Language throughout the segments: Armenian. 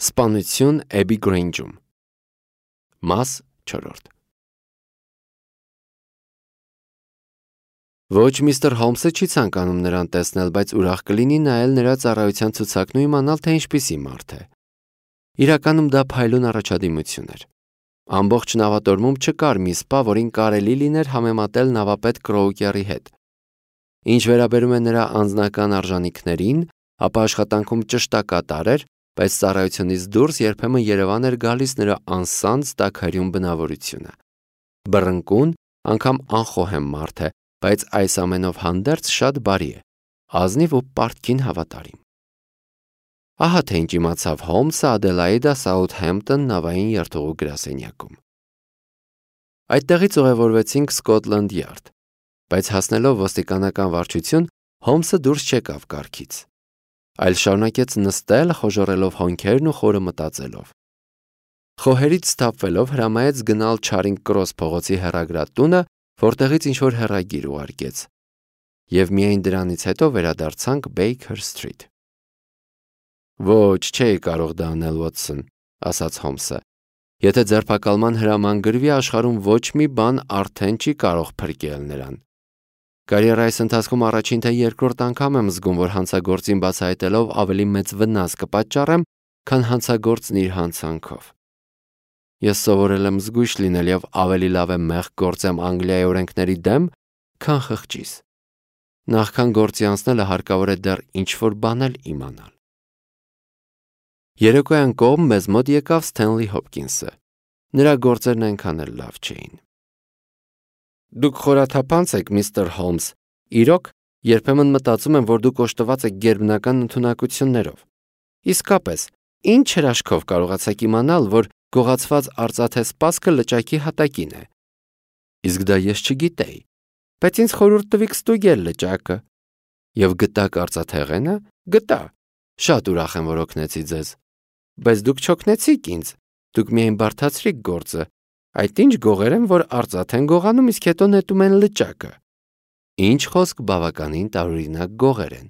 Սպանություն Էբի Գրեյնջում։ Մաս 4 Ոչ միստր Հոլմսը չի ցանկանում նրան տեսնել, բայց ուրախ կլինի նայել նրա ծառայության ցուցակն ու իմանալ, թե ինչպիսի մարդ է։ Իրականում դա փայլուն առաջադիմություն էր։ Ամբողջ նավատորմում չկար մի սպա, որին կարելի լիներ համեմատել նավապետ Կրոուկերի հետ։ Ինչ վերաբերում է նրա անձնական արժանինքներին, ապա աշխատանքում ճշտակատար էր, բայց ծառայությունից դուրս երբեմն Երևան էր գալիս նրա անսանձ տաքարյուն բնավորությունը։ Բռնկուն, անգամ անխոհեմ մարդ է, բայց այս ամենով հանդերձ շատ բարի է, ազնիվ ու պարտքին հավատարիմ։ Ահա թե ինչ իմացավ Հոլմսը Ադելաիդա Սաութհեմփտոն նավային երթուղու գրասենյակում։ Այդտեղից ուղևորվեցինք Սկոթլանդ Յարդ, բայց հասնելով ոստիկանական վարչություն, Հոլմսը դուրս չեկավ կառքից, այլ շարունակեց նստել, խոժոռելով հոնքերն ու խորը մտածելով։ Խոհերից սթափվելով հրամայեց գնալ Չարինգ Կրոս փողոցի հեռագրատունը, որտեղից ինչ-որ հեռագիր ուղարկեց, և միայն դրանից հետո վերադարձանք Բեյքեր Սթրիթ։ «Ոչ, չէի կարող դա անել, Ուոտսոն», ասաց Հոլմսը։ «Եթե ձերբակալման հրաման գրվի, աշխարհում ոչ մի բան արդեն չի կարող փրկել նրան։ Կարիերայիս ընթացքում առաջին թե երկրորդ անգամ եմ զգում, որ հանցագործին բացահայտելով ավելի մեծ վնաս կպատճառեմ, քան հանցագործն իր հանցանքով։ Ես սովորել եմ զգույշ լինել և ավելի լավ է մեղք գործեմ Անգլիայի օրենքների դեմ, քան խղճիս։ Նախքան գործի անցնելը հարկավոր է դեռ ինչ-որ բան էլ իմանալ»։ Երեկոյան կողմ մեզ մոտ եկավ Սթենլի Հոփկինսը։ Նրա գործերն այնքան էլ լավ չէին։ «Դուք խորաթափանց եք, միստր Հոլմս, իրոք, երբեմն մտածում եմ, որ դուք օժտված եք գերբնական ընդունակություններով։ Իսկապես, ինչ հրաշքով կարողացաք իմանալ, որ գողացված արծաթե սպասքը լճակի հատակին է։ Իսկ դա ես չգիտեի, բայց ինձ խորհուրդ տվիք ստուգել լճակը։ Եվ գտաք արծաթեղենը։ Գտա։ Շատ ուրախ եմ, որ օգնեցի ձեզ։ Բայց դուք չօգնեցիք ինձ, դուք միայն բարդացրիք գործը։ Այդ ինչ գողեր են, որ արծաթ են գողանում, իսկ հետո նետում են լճակը։ Ինչ խոսք, բավականին տարօրինակ գողեր են։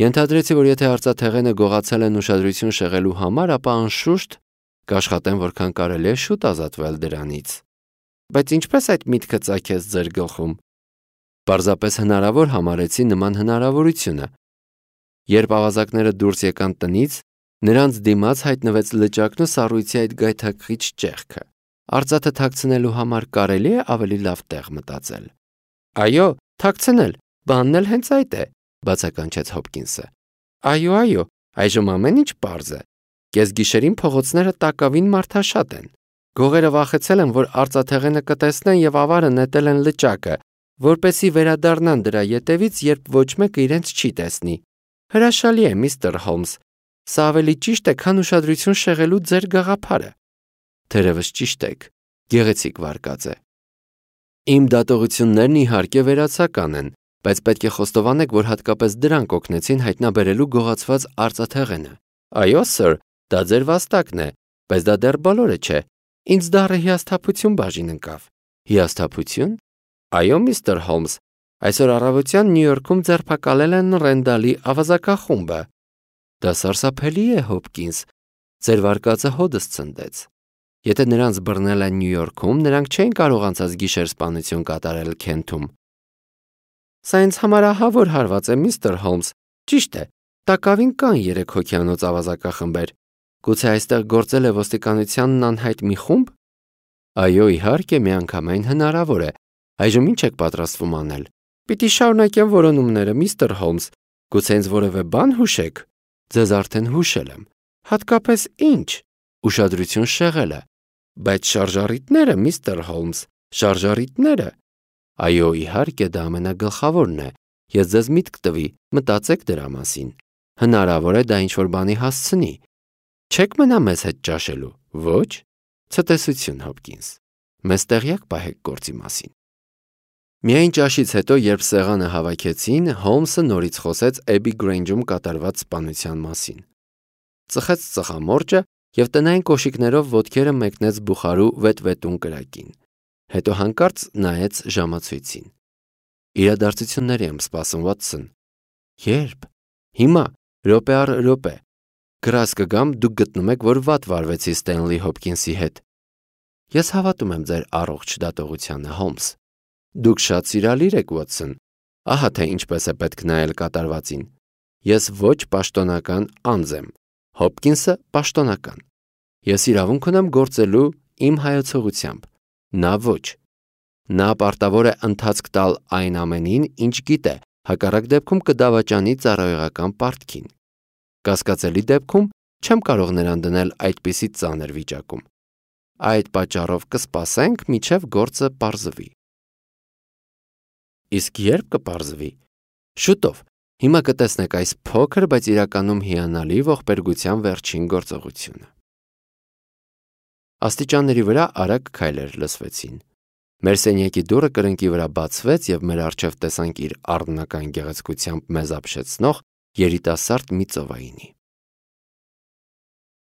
Ենթադրեցի, որ եթե արծաթեղենը գողացել են ուշադրություն շեղելու համար, ապա անշուշտ կաշխատեն որքան կարելի է շուտ ազատվել դրանից։ Բայց ինչպես այդ միտքը ծագեց ձեր գլխում։ Պարզապես հնարավոր համարեցի նման հնարավորությունը։ Երբ ավազակները դուրս եկան տնից, նրանց դիմաց հայտնվեց լճակն ու սառույցի այդ գայթակղիչ ճեղքը։ Արծաթը թաքցնելու համար կարելի է ավելի լավ տեղ մտածել։ Այո, թաքցնել, բանն էլ հենց այդ է, բացականչեց Հոփկինսը։ Այո, այժմ ամեն ինչ պարզ է։ Կեսգիշերին փողոցները տակավին մարդաշատ են։ Գողերը վախեցել են, որ արծաթեղենը կտեսնեն և ավարը նետել են լճակը, որպեսզի վերադառնան դրա ետևից, երբ ոչ մեկը իրենց չի տեսնի։ Հրաշալի է, միստր Հոլմս։ Սա ավելի ճիշտ է, քան ուշադրություն շեղելու ձեր գաղափարը։ Թերևս ճիշտ եք, գեղեցիկ վարկած է։ Իմ դատողություններն իհարկե վերացական են, բայց պետք է խոստովանեք, որ հատկապես դրանք օգնեցին հայտնաբերելու գողացված արծաթեղենը։ Այո, սըր, դա ձեր վաստակն է, բայց դա դեռ բոլորը չէ։ Ինձ դառը հիասթափություն բաժին ընկավ։ Հիասթափություն։ Այո, միստր Հոլմս, այսօր առավոտյան Նյու Յորքում ձերբակալել են Ռենդալի ավազակախումբը։ Դա սարսափելի է, Հոփկինս։ Ձեր վարկածը հոդս ցնդեց։ Եթե նրանց բռնել են Նյու Յորքում, նրանք չէին կարող անցած գիշեր սպանություն կատարել Քենթում։ Սա ինձ համար ահավոր հարված է, միստր Հոլմս։ Ճիշտ է, տակավին կան 3 հոգյանոց ավազակախմբեր։ Գուցե այստեղ գործել է ոստիկանությանն անհայտ մի խումբ։ Այո, իհարկե, միանգամայն հնարավոր է։ Այժմ ինչ եք պատրաստվում անել։ Պիտի շարունակեմ որոնումները, միստր Հոլմս։ Գուցե ինձ որևէ բան հուշեք։ Ձեզ արդեն հուշել եմ։ Հատկապես ինչ։ Ուշադրություն շեղելը։ Բայց շարժառիթները, միստր Հոլմս, շարժառիթները։ Այո, իհարկե, դա ամենագլխավորն է։ Ես ձեզ միտք տվի, մտածեք դրա մասին։ Հնարավոր է դա ինչ-որ բանի հասցնի։ Չեք մնա մեզ հետ ճաշելու։ Ոչ։ Ցտեսություն, Հոփկինս։ Մեզ տեղյակ պահեք գործի մասին։ Միայն ճաշից հետո, երբ սեղանը հավաքեցին, Հոլմսը նորից խոսեց Էբի Գրեյնջում կատարված սպանության մասին։ Ծխեց ծխամորճը և տնային կոշիկներով ոտքերը մեկնեց բուխարու վետվետուն կրակին։ Հետո հանկարծ նայեց ժամացույցին։ Իրադարձությունների եմ սպասում, Ուոտսոն։ Երբ։ Հիմա, րոպե առ րոպե։ Գրազ կգամ, դուք գտնում եք, որ վատ վարվեցի Ստենլի Հոփքինսի հետ։ Ես հավատում եմ ձեր առողջ դատողությանը, Հոլմս։ Դուք շատ սիրալիր եք, Ուոտսոն։ Ահա թե ինչպես է պետք նայել կատարվածին։ Ես ոչ պաշտոնական անձ եմ, Հոփքինսը պաշտոնական։ Ես իրավունք ունեմ գործելու իմ հայացողությամբ, նա ոչ։ Նա պարտավոր է ընթացք տալ այն ամենին, ինչ գիտե, հակառակ դեպքում կդավաճանի ծառայողական պարտքին։ Կասկածելի դեպքում չեմ կարող նրան դնել այդպիսի ծանր վիճակում։ Այդ պատճառով կսպասենք, մինչև գործը պարզվի։ Իսկ երբ կպարզվի։ Շուտով։ Հիմա կտեսնեք այս փոքր, բայց իրականում հիանալի ողբերգության վերջին գործողությունը։ Աստիճանների վրա արագ քայլեր լսվեցին։ Մեր սենյակի դուռը կրկնակի վրա բացվեց և մեր առջև տեսանք իր առնական գեղեցկությամբ մեզ ապշեցնող երիտասարդ մի ծովայինի։